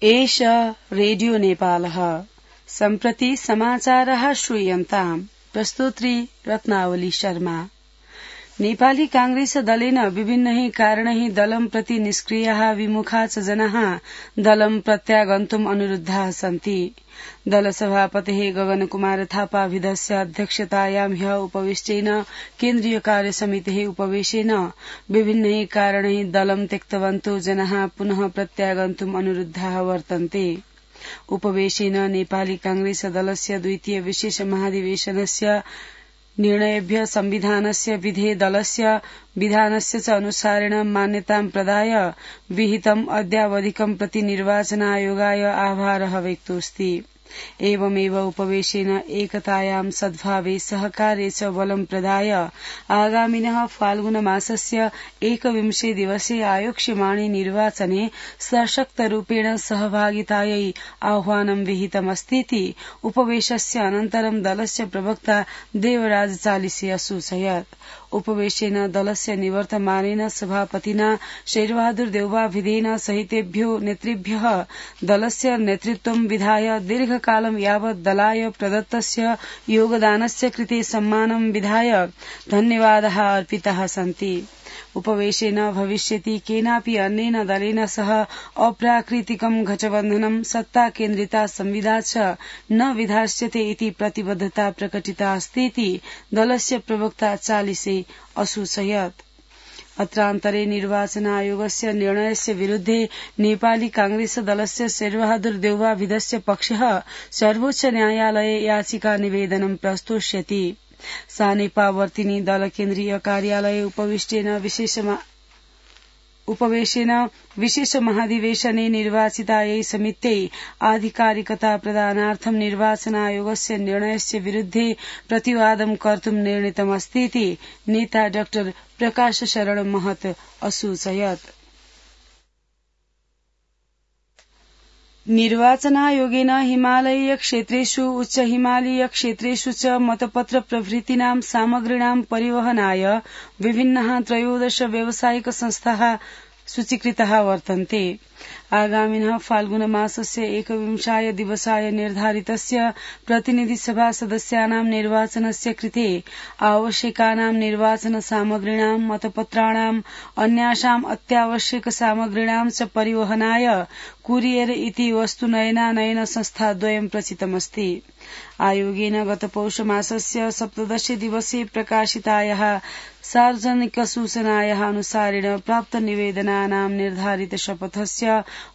एष रेडियो नेपालः सम्प्रति समाचारः श्रूयन्ताम् प्रस्तोत्री रत्नावली शर्मा। नेपाली कांग्रेस दलेन विभिन्नैः कारणैः दलं प्रति निष्क्रियाः विमुखा च जनाः दलं प्रत्यागन्तुम् अनुरुद्धाः सन्ति। दलसभापतेः गगनकुमार थापाभिधस्य अध्यक्षतायां ह्यः उपविष्टेन केन्द्रीय कार्यसमितेः उपवेशेन विभिन्नैः कारणैः दलं त्यक्तवन्तो जनाः पुनः प्रत्यागन्तुम् अनुरुद्धाः वर्तन्ते। उपवेशेन नेपाली कांग्रेस दलस्य द्वितीय विशेष महाधिवेशनस्य निर्णयेभ्य संविधानस्य विधे दलस्य विधानस्य च अनुसारेण मान्यतां प्रदाय विहितम् अद्यावधिकं प्रति निर्वाचनायोगाय आभारः व्यक्तोऽस्ति। एवमेव उपवेशेन एकतायां सद्भावे सहकारे च बलं प्रदाय आगामिनः फाल्गुनमासस्य 21 दिवसे आयोक्ष्यमाणे निर्वाचने सशक्तरूपेण सहभागितायै आह्वानं विहितमस्तीति उपवेशस्य अनन्तरं दलस्य प्रवक्ता देवराज चालिसे असूचयत्। उपवेशेन दलस्य निवर्तमानेन सभापतिना शेरबहादुर देउवाभिधेन सहितेभ्यो नेतृभ्यः दलस्य नेतृत्वं विधाय दीर्घकालं यावत् दलाय प्रदत्तस्य योगदानस्य कृते सम्मानं विधाय धन्यवादाः अर्पिताः सन्ति। उपवेशेन भविष्यति केनापि अन्येन दलेन सह अप्राकृतिकं गठबन्धनं सत्ता केन्द्रिता संविदा च न विधास्यते इति प्रतिबद्धता प्रकटिता अस्तीति दलस्य प्रवक्ता चालिसे असूचयत्। अत्रान्तरे निर्वाचन आयोगस्य निर्णयस्य विरुद्धे नेपाली कांग्रेस दलस्य शेरबहादुर देउवाभिधस्य पक्षः सर्वोच्च न्यायालये याचिका निवेदनं प्रस्तोष्यति। सानेपावर्तिनी दल केन्द्रीय कार्यालये उपवेशेन विशेष महाधिवेशने निर्वाचितायै समित्यै आधिकारिकता प्रदानार्थं निर्वाचन आयोगस्य निर्णयस्य विरुद्धे प्रतिवादं कर्तुं निर्णीतमस्तीति नेता डाक्टर प्रकाश शरण महत असूचयत्। निर्वाचनायोगेन हिमालयीय क्षेत्रेषु उच्च हिमालयीय क्षेत्रेषु च मतपत्र प्रभृतीनां सामग्रीणां परिवहनाय विभिन्नाः 13 व्यावसायिक संस्थाः सूचीकृताः वर्तन्ते। आगामिनः फाल्गुनमासस्य 21 दिवसाय निर्धारितस्य प्रतिनिधिसभा सदस्यानां निर्वाचनस्य कृते आवश्यकानां निर्वाचन सामग्रीणां मतपत्राणाम् अन्यासाम् अत्यावश्यक सामग्रीणां च परिवहनाय कुरियर इति वस्तुनयनानयन संस्थाद्वयं प्रचितमस्ति। आयोगेन गत पौष मासस्य 17 दिवसे प्रकाशितायाः सार्वजनिक सूचनायाः अनुसारेण प्राप्त निवेदनानां निर्धारित शपथस्य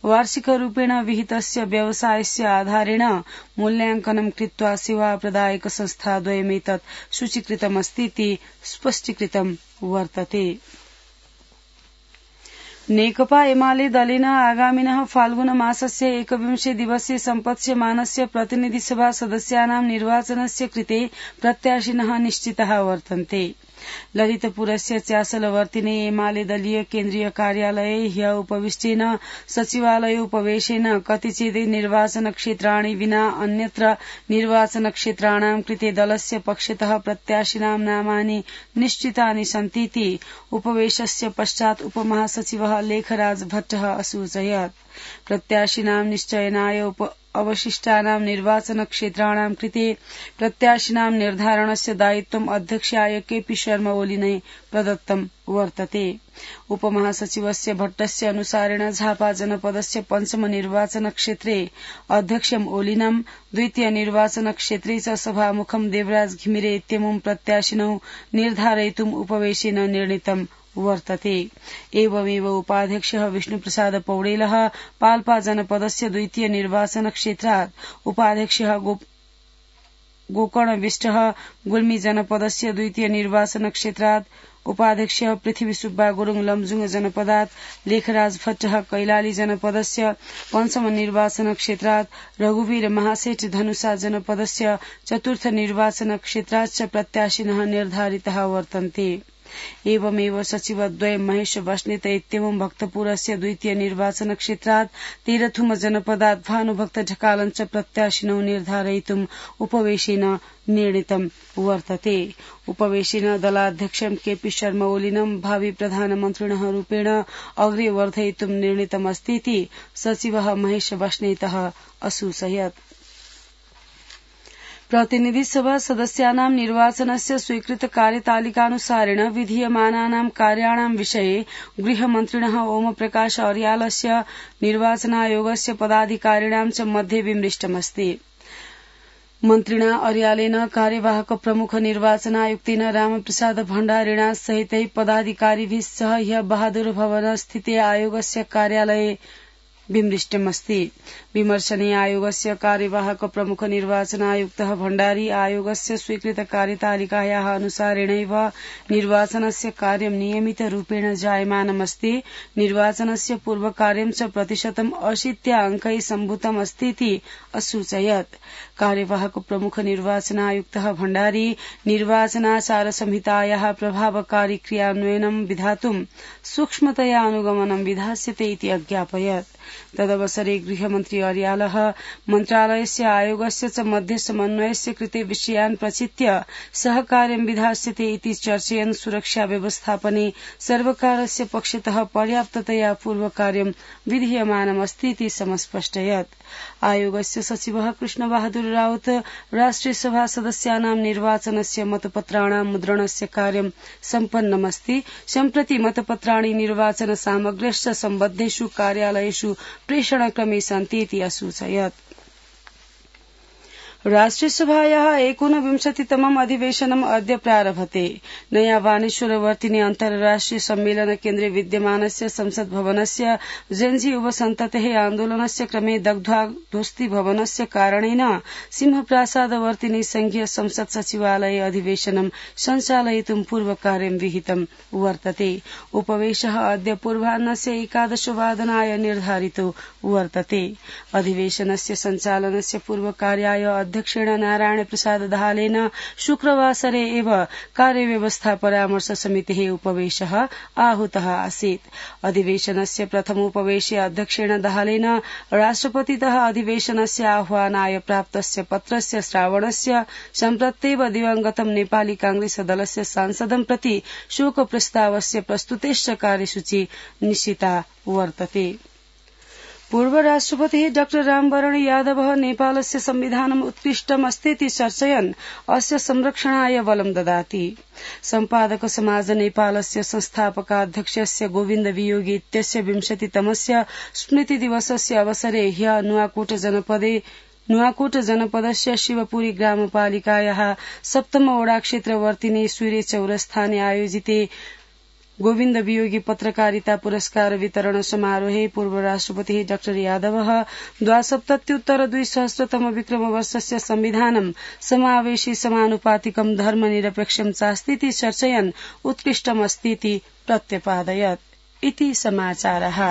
वार्षिकरूपेण विहितस्य व्यवसायस्य आधारेण मूल्याङ्कनं कृत्वा सेवा प्रदायक संस्थाद्वयमेतत् सूचीकृतमस्तीति स्पष्टीकृतं वर्तते। नेकपा एमाले दलेन आगामिनः फाल्गुन मासस्य 21 दिवसे सम्पत्स्यमानस्य प्रतिनिधिसभा सदस्यानां निर्वाचनस्य कृते प्रत्याशिनः निश्चिताः वर्तन्ते। ललितपुरस्य च्यासलवर्तिने एमाले दलीय केन्द्रीय कार्यालये ह्यः उपविष्टेन सचिवालय उपवेशेन कतिचित् निर्वाचन क्षेत्राणि विना अन्यत्र निर्वाचन क्षेत्राणां कृते दलस्य पक्षतः प्रत्याशिनां नामानि निश्चितानि सन्तीति उपवेशस्य पश्चात् उपमहासचिवः लेखराज भट्टः असूचयत्। प्रत्याशिनां निश्चयनाय अवशिष्टानां निर्वाचन क्षेत्राणां कृते प्रत्याशिनां निर्धारणस्य दायित्वम् अध्यक्षाय केपी शर्मा ओलिनै प्रदत्तं वर्तते। उपमहासचिवस्य भट्टस्य अनुसारेण झापा जनपदस्य पञ्चम निर्वाचन क्षेत्रे अध्यक्षम् ओलिनं, द्वितीय निर्वाचन क्षेत्रे च सभामुखं देवराज घिमिरे इत्यमुं प्रत्याशिनौ निर्धारयितुम् उपवेशेन निर्णीतं वर्तते। एवमेव उपाध्यक्षः विष्णुप्रसाद पौडेलः पाल्पा जनपदस्य द्वितीय निर्वाचन क्षेत्रात्, उपाध्यक्षः गोकर्णविष्टः गुल्मी जनपदस्य द्वितीय निर्वाचन क्षेत्रात्, उपाध्यक्षः पृथ्वी सुब्बा गुरुङ लमजुङ जनपदात्, लेखराज भट्टः कैलाली जनपदस्य पञ्चम निर्वाचन क्षेत्रात्, रघुवीर महासेठ धनुषा जनपदस्य चतुर्थ निर्वाचन क्षेत्रात् च प्रत्याशिनः निर्धारिताः वर्तन्ते। एवमेव सचिवद्वयं महेश बस्नेत इत्येवं भक्तपुरस्य द्वितीय निर्वाचन क्षेत्रात् तेरथुम जनपदात् भानुभक्त ढकालं च प्रत्याशिनौ निर्धारयितुम् उपवेशेन निर्णीतं वर्तते। उपवेशेन दलाध्यक्षं केपी शर्मा ओलिनं भावी प्रधानमन्त्रिणः रूपेण अग्रे वर्धयितुं निर्णीतमस्तीति सचिवः महेश बस्नेतः असूचयत्। प्रतिनिधि सभा सदस्यानां निर्वाचनस्य स्वीकृत कार्यतालिकानुसारेण विधीयमानानां कार्याणां विषये गृहमन्त्रिणः ओमप्रकाश अर्यालस्य निर्वाचनायोगस्य पदाधिकारिणां च मध्ये विमृष्टमस्ति। मन्त्रिणा अर्यालेन कार्यवाहक प्रमुख निर्वाचनायुक्तेन रामप्रसाद भण्डारिणा सहितै पदाधिकारिभिः सह ह्यः बहादुर भवन स्थिते आयोगस्य कार्यालये विमृष्टमस्ति। विमर्शने आयोगस्य कार्यवाहक प्रमुख निर्वाचनायुक्तः भण्डारी आयोगस्य स्वीकृत कार्यतालिकायाः अनुसारेणैव निर्वाचनस्य कार्यं नियमितरूपेण जायमानमस्ति। निर्वाचनस्य पूर्वकार्यं च 80% अङ्कै सम्भूतमस्तीति असूचयत्। कार्यवाहक प्रमुख निर्वाचनायुक्तः भण्डारी निर्वाचनाचार संहितायाः प्रभावकारी क्रियान्वयनं विधातुं सूक्ष्मतया अनुगमनं विधास्यते इति अज्ञापयत्। तदवसरे गृहमन्त्री अर्यालः मन्त्रालयस्य आयोगस्य च मध्ये समन्वयस्य कृते विषयान् प्रचित्य सहकार्यं विधास्यते इति चर्चयन् सुरक्षा व्यवस्थापने सर्वकारस्य पक्षतः पर्याप्ततया पूर्वकार्यं विधीयमानमस्तीति समस्पष्टयत्। आयोगस्य सचिवः कृष्णबहादुर राउत राष्ट्रिय सभा सदस्यानां निर्वाचनस्य मतपत्राणां मुद्रणस्य कार्यं सम्पन्नमस्ति। सम्प्रति मतपत्राणि निर्वाचन सामग्र्यश्च सम्बद्धेषु कार्यालयेषु प्रेषणक्रमे सन्तीति असूचयत्। राष्ट्रियसभायाः 59तमम् अधिवेशनम् अद्य प्रारभते। नया वाणेश्वरवर्तिनि अन्तर्राष्ट्रिय सम्मेलन केन्द्रे विद्यमानस्य संसद भवनस्य जेन्जी युवसन्ततेः आन्दोलनस्य क्रमे दग्ध्वाध्वस्ति भवनस्य कारणेन सिंहप्रासादवर्तिनि संघीय संसद सचिवालये अधिवेशनं सञ्चालयितुं पूर्वकार्यं विहितं वर्तते। उपवेशः अद्य पूर्वाह्नस्य 11 वादनाय निर्धारितो वर्तते। अधिवेशनस्य सञ्चालनस्य पूर्वकार्याय अध्यक्षेण नारायण प्रसाद दाहालेन शुक्रवासरे एव कार्यव्यवस्था परामर्श समितेः उपवेशः आहूतः आसीत्। अधिवेशनस्य प्रथमोपवेशे अध्यक्षेण दाहालेन राष्ट्रपतितः अधिवेशनस्य आह्वानाय प्राप्तस्य पत्रस्य श्रावणस्य सम्प्रत्येव दिवंगतं नेपाली कांग्रेस दलस्य सांसदं प्रति शोकप्रस्तावस्य प्रस्तुतेश्च कार्यसूची निश्चिता वर्तते। पूर्व राष्ट्रपतिः डॉक्टर रामवरण यादवः नेपालस्य संविधानम् उत्कृष्टमस्तीति चर्चयन् अस्य संरक्षणाय बलं ददाति। सम्पादक समाज नेपालस्य संस्थापकाध्यक्षस्य गोविन्द वियोगी इत्यस्य 20तमस्य स्मृति दिवसस्य अवसरे ह्यः नुवाकोट जनपदस्य शिवपुरी ग्रामपालिकायाः 7 वडा क्षेत्रवर्तिनि सूर्य चौरस्थाने आयोजिते गोविन्द वियोगी पत्रकारिता पुरस्कार वितरण समारोहे पूर्व राष्ट्रपतिः डाक्टर यादवः 72-2000 विक्रमवर्षस्य संविधानं समावेशी समानुपातिकं धर्मनिरपेक्षं चास्तीति चर्चयन् उत्कृष्टमस्तीति प्रत्यपादयत्। इति समाचारः।